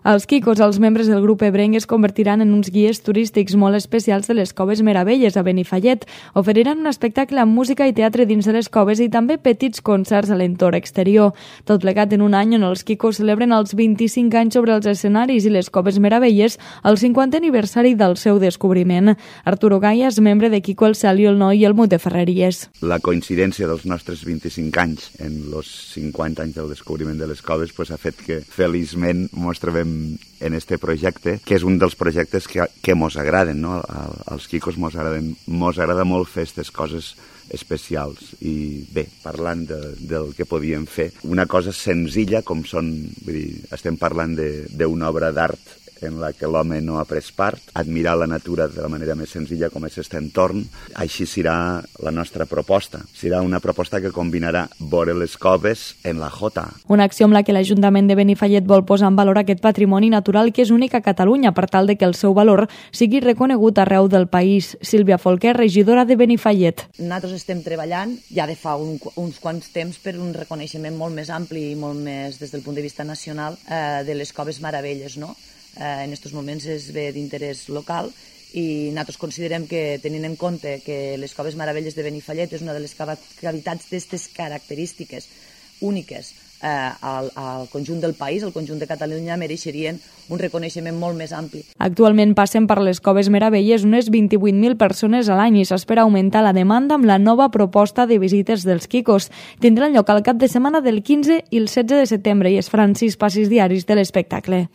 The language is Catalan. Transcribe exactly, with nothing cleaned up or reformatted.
Els Quicos, els membres del grup ebrenc, es convertiran en uns guies turístics molt especials de les Coves Meravelles a Benifallet. Oferiran un espectacle amb música i teatre dins de les coves i també petits concerts a l'entorn exterior. Tot plegat en un any on els Quicos celebren els vint-i-cinc anys sobre els escenaris i les Coves Meravelles el cinquantè aniversari del seu descobriment. Arturo Gaya és membre de Quico el Cel i el Noi i el Mut de Ferreries. La coincidència dels nostres vint-i-cinc anys en els cinquanta anys del descobriment de les coves pues, ha fet que feliçment mos trobem en este projecte, que és un dels projectes que, que mos agraden, no? Als Quicos mos agraden, mos agrada molt fer aquestes coses especials i bé, parlant de, del que podíem fer, una cosa senzilla com són, vull dir, estem parlant d'una obra d'art en la que l'home no ha pres part, admirar la natura de la manera més senzilla com és aquest entorn. Així serà la nostra proposta. Serà una proposta que combinarà veure les coves en la Jota. Una acció amb la que l'Ajuntament de Benifallet vol posar en valor aquest patrimoni natural que és únic a Catalunya per tal de que el seu valor sigui reconegut arreu del país. Sílvia Folquer, regidora de Benifallet. Nosaltres estem treballant ja de fa un, uns quants temps per un reconeixement molt més ampli i molt més des del punt de vista nacional eh, de les Coves Meravelles, no? Eh, en aquests moments és bé d'interès local i nosaltres considerem que, tenint en compte que les Coves Meravelles de Benifallet és una de les cavitats d'aquestes característiques úniques eh, al, al conjunt del país, al conjunt de Catalunya, mereixerien un reconeixement molt més ampli. Actualment passen per les Coves Meravelles unes vint-i-vuit mil persones a l'any i s'espera augmentar la demanda amb la nova proposta de visites dels Quicos. Tindran lloc al cap de setmana del quinze i el setze de setembre i es faran sis passis diaris de l'espectacle.